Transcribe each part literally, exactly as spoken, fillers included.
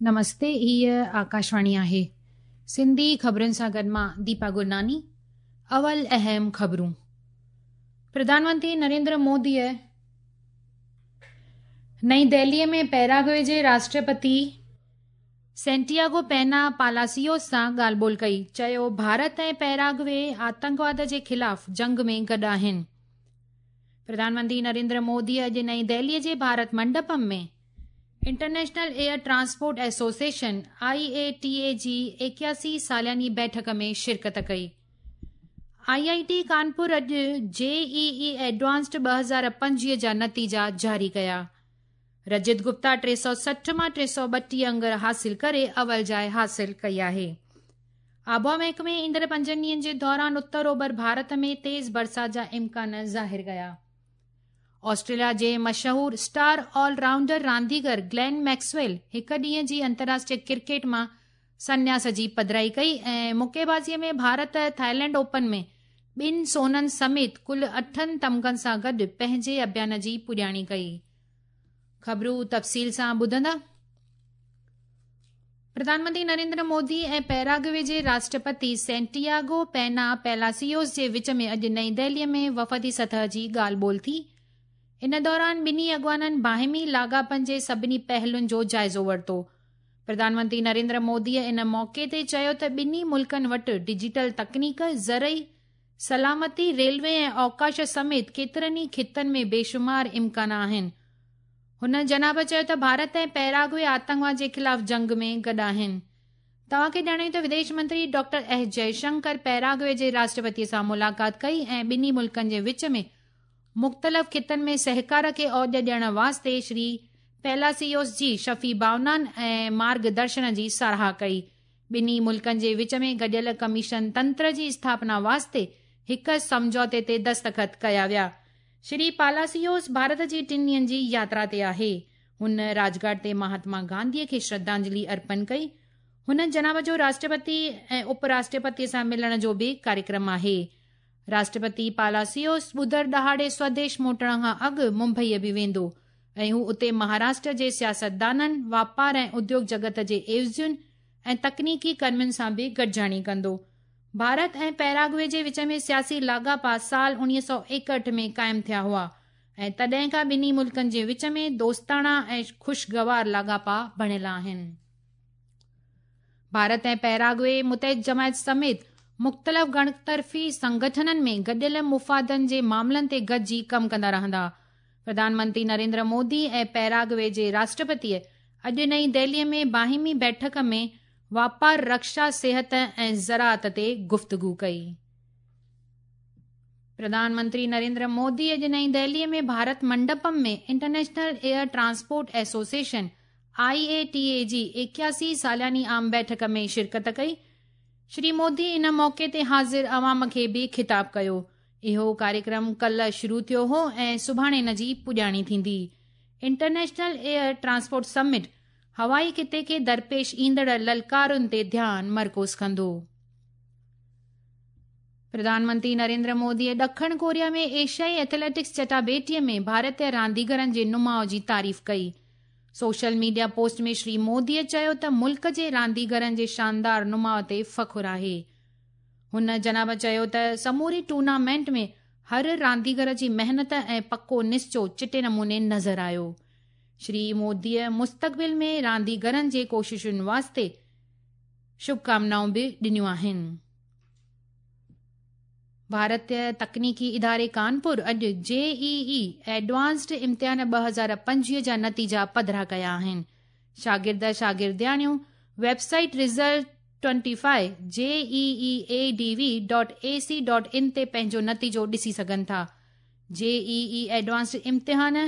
نمستي، هيء آڪاشواڻي آهي. سنڌي خبرن سان گڏ مان ديپا گرناني. اول اهم خبرون. پرڌان منتري نريندر موديء نئين دهليء ۾ پيراگوي جي راشٽرپتي سينٽياگو پينا پالاسيوس سان ڳالهه ٻولهه ڪئي. چيو، ڀارت ۽ پيراگوي آتنڪواد جي خلاف جنگ ۾ گڏ آهن. پرڌان منتري نريندر موديء اڄ نئين دهليء جي Bharat منڊپم ۾ international air transport association I A T A جي ايڪياسي سالياني بيٺڪ ۾ شرڪت ڪئي. I I ٽي ڪانپور اڄ جي اي اي ايڊوانسڊ ٻه هزار پنجويهه جا نتيجا جاري ڪيا. رجت گپتا ٽي سؤ سٺ مان ٽي سؤ ٻٽيهه انگ حاصل ڪري اول جاءِ حاصل ڪئي آهي. آبهوا محڪمي ايندڙ پنجن ڏينهن جي دوران اتر اوڀر ڀارت ۾ تيز برسات جا امڪان ظاهر ڪيا. آسٽريليا جي مشهور اسٽار آل رائونڊر رانديگر گلين ميڪسويل هڪ ڏينهن جي انترراشٽريه ڪرڪيٽ مان سنياس جي پڌرائي ڪئي ۽ مڪي بازيءَ ۾ ڀارت ٿائيلينڊ اوپن ۾ ٻن سونن سميت ڪل اٺن تمغن سان گڏ پنهنجي اڀيان جي پڄاڻي ڪئي. خبرون تفصيل سان ٻڌندا. پرڌان منتري نريندر مودي ۽ پيراگوي جي راشٽرپتي سينٽياگو پينا پيلاسيوس جي وچ ۾ اڄ نئين دهليءَ ۾ وفدي سطح جي ڳالهه ٻولهه ٿي. ان دوران ٻنهي اڳواڻن باهمي لاڳاپن جي سڀني پهلن جو جائزو ورتو. پرڌان منتري نريندر موديءَ ان موقعي تي چيو ته ٻنهي ملڪن وٽ ڊجيٽل تڪنيڪ، زرعي، سلامتي، ريلوي ۽ اوڪاش سميت ڪيترن ئي خطن ۾ بيشمار امڪان آهن. هن جناب چيو ته ڀارت ۽ پيراگوي آتنڪواد جي خلاف جنگ ۾ گڏ آهن. توهان کي ڄاڻايون ته وديش منتري ڊاڪٽر ايس جئشنڪر پيراگوي جي راشٽرپتيءَ سان ملاقات ڪئي ۽ ٻنهي ملڪن جي وچ ۾ مختلف خطن ۾ سهڪار کي اوج ڏيڻ واسطي شري پيلاسيوس جي شفي ڀاونائن ۽ مارگدرشن جي ساراهه ڪئي. ٻنهي ملڪن جي وچ ۾ گڏيل ڪميشن تنتر جي اسٿاپنا واسطي هڪ سمجهوتي تي دستخط ڪيا ويا. شري پالاسيوس ڀارت جي ٽن ڏينهن جي ياترا تي آهي. هن راجگهاٽ تي مهاتما گانڌيءَ کي شرڌانجلي ارپڻ ڪئي. هن جناب جو راشٽرپتي ۽ اپ راشٽرپتيءَ سان ملڻ جو به ڪاريڪرم آهي. راشٽرپتي پالاسيوس ٻڌر ڏهاڙي سوديش موٽڻ کان اڳ ممبئيءَ به ويندو ۽ هو اتي مهاراشٽر جي سياستدانن، واپار ۽ اديوگ جڳت جي عيوضين ۽ تڪنيڪي ڪرمين سان به گڏجاڻي ڪندو. ڀارت ۽ پيراگوي جي وچ ۾ سياسي لاڳاپا سال اڻويهه سؤ ايڪهٺ ۾ قائم ٿيا هئا ۽ تڏهن کان ٻنهي ملڪن جي وچ ۾ دوستاڻا ۽ خوشگوار لاڳاپا بڻيل آهن. ڀارت ۽ پيراگوي متحد جماعت سميت مختلف گڻطرفي سنگٺنن ۾ گڏيل مفادن جي معاملن تي گڏجي ڪم ڪندا رهندا. پرڌان منتري نريندر مودي ۽ پيراگوي جي راشٽرپتيءَ اڄ نئين دهليءَ ۾ باهمي بيٺڪ ۾ واپار، رڪشا، صحت ۽ زراعت تي گفتگو ڪئي. پرڌان منتري نريندر مودي اڄ نئين دهليءَ ۾ Bharat منڊپم ۾ international air transport association I A T A جي ايڪياسي سالياني عام بيٺڪ ۾ شرڪت ڪئي. شري مودي ان موقعي تي حاضر عوام کي به خطاب ڪيو. اهو ڪاريڪرم ڪالهه شروع ٿيو هو ۽ سڀاڻي ان جي پڄاڻي ٿيندي. انٽرنيشنل ايئر ٽرانسپورٽ سمٽ هوائي خطي کي درپيش ايندڙ للڪارن تي ڌيان مرڪوز ڪندو. پرڌان منتري نريندر موديءَ ڏکڻ ڪوريا ۾ ايشيائي ايٿليٽڪس چٽاڀيٽيءَ ۾ ڀارتيه رانديگرن جي نماءُ جي تعريف ڪئي. سوشل ميڊيا پوسٽ ۾ شري موديءَ چيو ته ملڪ جي رانديگرن جي شاندار نماءُ تي فخر آهي. هن جناب چيو ته سموري ٽورنامينٽ ۾ هر رانديگر جي محنت ۽ پڪو نشچو چٽي نموني نظر آيو. شري موديءَ مستقبل ۾ رانديگرن جي ڪوششن واسطي شڀڪامنائون به ڏنيون آهن. ڀارتيه تڪنيڪي اداري ڪانپور اڄ جي اي اي ايڊوانسڊ امتحان ٻه هزار پنجويهه جا نتيجا پڌرا ڪيا آهن. شاگرد شاگردياڻيون website result twenty five J E E A D V dot A C dot in تي پنهنجو نتيجو ڏسي سگهن ٿا. جي اي اي ايڊوانسڊ امتحان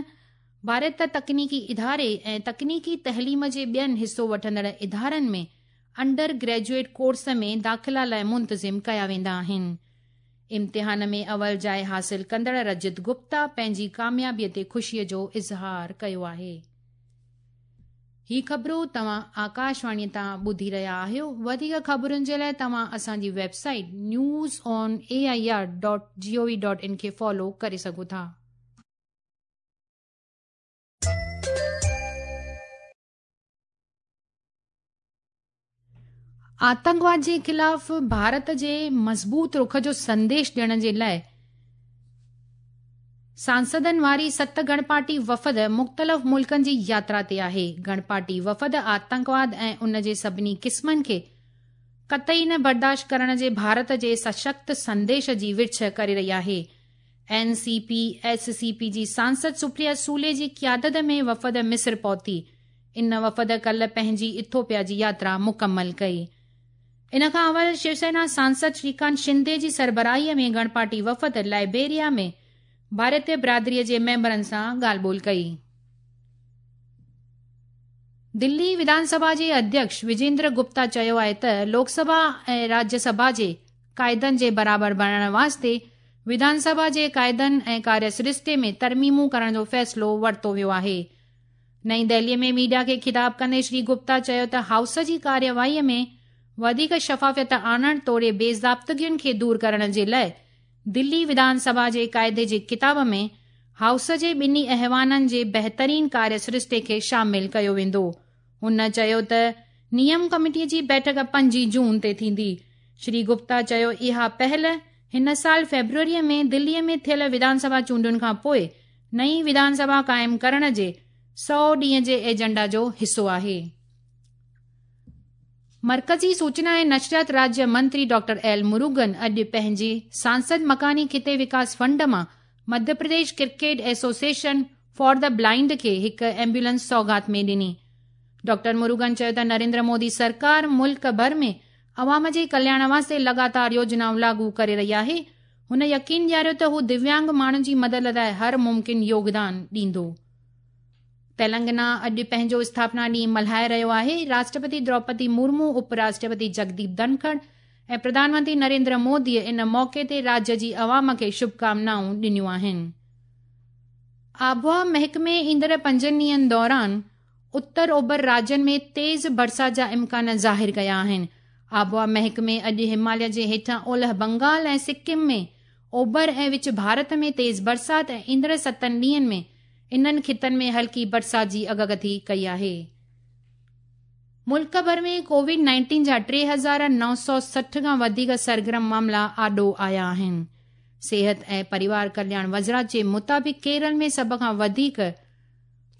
ڀارت تڪنيڪي اداري ۽ تڪنيڪي تعليم جي ٻين حصو وٺندڙ ادارن ۾ انڊر گريجوئيٽ ڪورس ۾ داخلا لاءِ منتظم ڪيا ويندا آهن. امتحان ۾ اول جاءِ حاصل ڪندڙ رجت گپتا پنهنجي ڪاميابيءَ تي خوشيءَ جو اظهار ڪيو آهي. هي خبرون توهان آڪاشواڻيءَ تان ٻڌي رهيا آهيو. وڌيڪ خبرن جي لاءِ توهان اسان جي website news on A I R dot G O V dot in کي فالو ڪري سگهو ٿا. آتنڪواد جي خلاف ڀارت جي مضبوط رخ جو سنديش ڏيڻ جي لاءِ سانسدن واري ست گڻپارٽي وفد مختلف ملڪن جي ياترا تي آهي. گڻپارٽي وفد آتنڪواد ۽ ان جي سڀني قسمن کي قطعي نه برداشت ڪرڻ جي ڀارت جي سشڪت سنديش جي ورڇ ڪري رهي آهي. N C P S C P جي سانسد سپريا سولي جي قيادت ۾ وفد مصر پهتي. ان وفد ڪالهه پنهنجي ايٿوپيا جي ياترا مڪمل ڪئي. ان کان اول شيوسينا سانسد شريڪانت شندي جي سربراهيءَ ۾ گڻپارٽي وفد لائبيريا ۾ ڀارتيه برادريءَ جي ميمبرن سان ڳالهه ٻولهه ڪئي. دلي وڌان سڀا جي اڌيڪش وجيندر گپتا چيو آهي ته لوڪ سڀا ۽ راجيه سڀا جي قاعدن جي برابر بڻائڻ واسطي وڌان سڀا جي قاعدن ۽ ڪاريه سرشتي ۾ ترميمون ڪرڻ جو فيصلو ورتو ويو آهي. نئين دهليءَ ۾ ميڊيا کي خطاب ڪندي شري گپتا چيو ته هائوس جي ڪاريواهيءَ ۾ وڌيڪ شفافيت آڻڻ توڙي بيضابطگين کي دور ڪرڻ جي لاءِ دلي وڌان سڀا جي قاعدي جي ڪتاب ۾ هائوس جي ٻنهي ايوانن جي بهترين ڪاريه سرشتي کي شامل ڪيو ويندو. هن چيو ته نيم ڪميٽيءَ جي بيٺڪ پنجين جون تي ٿيندي. شري گپتا چيو اها پهل هن سال فيبروريءَ ۾ دليءَ ۾ ٿيل وڌان سڀا چونڊن کان پوءِ نئين وڌان سڀا قائم ڪرڻ جي سؤ ڏينهن جي ايجنڊا جو حصو آهي. مرڪزي سوچنا ۽ نشريات راجيه منتري ڊاڪٽر ايل مروگن اڄ پنهنجي سانسد مڪاني خطي وڪاس فنڊ مان Madhya Pradesh Cricket Association for the Blind کي هڪ ايمبولينس سوغات ۾ ڏني. ڊاڪٽر مروگن چيو ته نريندر مودي سرڪار ملڪ ڀر ۾ عوام جي ڪلياڻ واسطي لڳاتار يوجنائون لاڳو ڪري رهي آهي. هن يقين ڏياريو ته هو دويانگ ماڻهن جي مدد لاءِ هر ممڪن يوگدان ڏيندو. تيلنگانا اڄ پنهنجو اسٿاپنا ڏينهن ملهائي رهيو آهي. راشٽرپتي دروپدي مرمو، اپ راشٽرپتي جگديپ ڌنکڙ ۽ پرڌان منتري نريندر موديءَ ان موقعي تي راجيه جي عوام کي شڀڪامنائون ڏنيون آهن. آبهوا محڪمي ايندڙ پنجن ڏينهن دوران اتر اوڀر راجين ۾ تيز برسات جا امڪان ظاهر ڪيا آهن. آبهوا محڪمي اڄ هماليه جي هيٺان اولهه بنگال ۽ سڪم ۾ اوڀر ۽ وچ ڀارت ۾ تيز برسات ۽ ايندڙ ستن ڏينهن ۾ انهن خطن ۾ هلڪي برسات جي اڳڪٿي ڪئي آهي. ملڪ ڀر ۾ ڪووڊ نائنٽين جا ٽي هزار نو سؤ سٺ کان وڌيڪ سرگرم معاملا آڏو آيا آهن. صحت ۽ پريوار ڪلياڻ وزارت جي مطابق ڪيرل ۾ سڀ کان وڌيڪ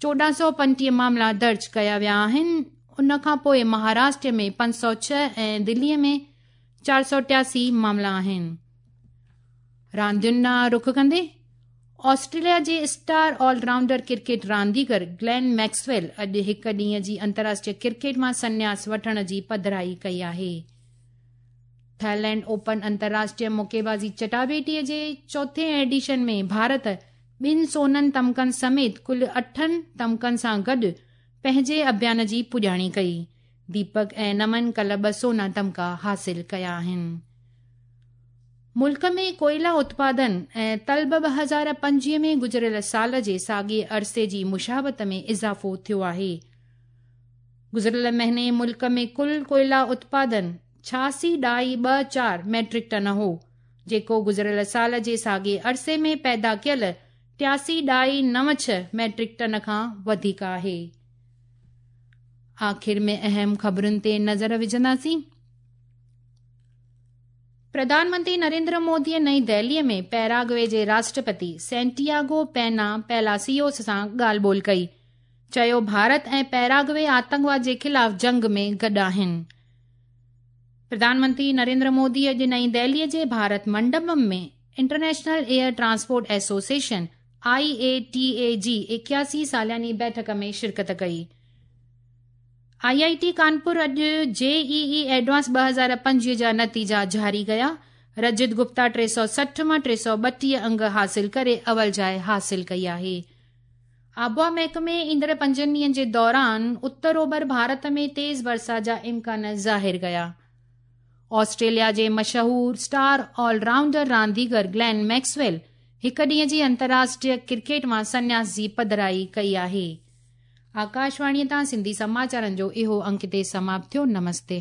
چوڏهن سؤ پنجٽيهه معاملا درج ڪيا ويا آهن. ان کان پوءِ مهاراشٽر ۾ پنج سؤ ڇهه ۽ دليءَ ۾ چار سؤ ٽياسي معاملا آهن. راندين ڏانهن رخ ڪندي آسٽريليا جي اسٽار آل رائونڊر ڪرڪيٽ رانديگر گلين ميڪسويل اڄ هڪ ڏينهن جي انترراشٽريه ڪرڪيٽ مان سنياس وٺڻ جي پڌرائي ڪئي آهي. ٿائيلينڊ اوپن انترراشٽريه مڪيبازي چٽاڀيٽيءَ جي چوٿين ايڊيشن ۾ ڀارت ٻن سونن تمغن سميت ڪل اٺن تمغن سان گڏ پنهنجي اڀيان جي پڄاڻي ڪئي. ديپڪ ۽ نمن ڪالهه ٻه سونا تمغا حاصل ڪيا آهن. ملڪ ۾ ڪوئلا اتپادن ۽ طلب ٻه هزار پنجويهه ۾ گذريل سال جي ساڳئي عرصي جي مشابهت ۾ اضافو ٿيو آهي. گذريل مهيني ملڪ ۾ ڪل ڪوئلا اتپادن ڇهاسي ڏهائي ٻه چار ميٽرڪ ٽن هو، جيڪو گذريل سال جي ساڳئي عرصي ۾ پيدا ڪيل ٽياسي ڏهائي نو ڇهه ميٽرڪ ٽن کان وڌيڪ آهي. آخر ۾ اهم خبرن تي نظر وجهنداسين. پرڌان منتري نريندر موديءَ نئين دهليءَ ۾ پيراگوي جي راشٽرپتي سينٽياگو پينا پيلاسيوس سان ڳالهه ٻولهه ڪئي. چيو ڀارت ۽ پيراگوي آتنڪواد جي خلاف جنگ ۾ گڏ آهن. پرڌان منتري نريندر مودي اڄ نئين دهليءَ جي Bharat منڊپم ۾ International Air Transport Association I A T A جي ايڪياسي سالياني بيٺڪ ۾ شرڪت ڪئي. I I ٽي ڪانپور اڄ جي اي اي ايڊوانس ٻه هزار پنجويهه جا نتيجا جاري ڪيا. رجت گپتا ٽي سؤ سٺ مان ٽي سؤ ٻٽيهه انگ حاصل ڪري اول جاءِ حاصل ڪئي آهي. آبهوا محڪمي ايندڙ پنجن ڏينهن جي دوران اتر اوڀر ڀارت ۾ تيز برسات جا امڪان ظاهر ڪيا. آسٽريليا جي مشهور اسٽار آل رائونڊر رانديگر گلين ميڪسويل هڪ ڏينهن جي انترراشٽريه ڪرڪيٽ مان سنياس جي پڌرائي ڪئي آهي. آڪاشواڻيءَ تان سنڌي سماچارن جو اهو انڪ هتي سماپت ٿيو. نمستي.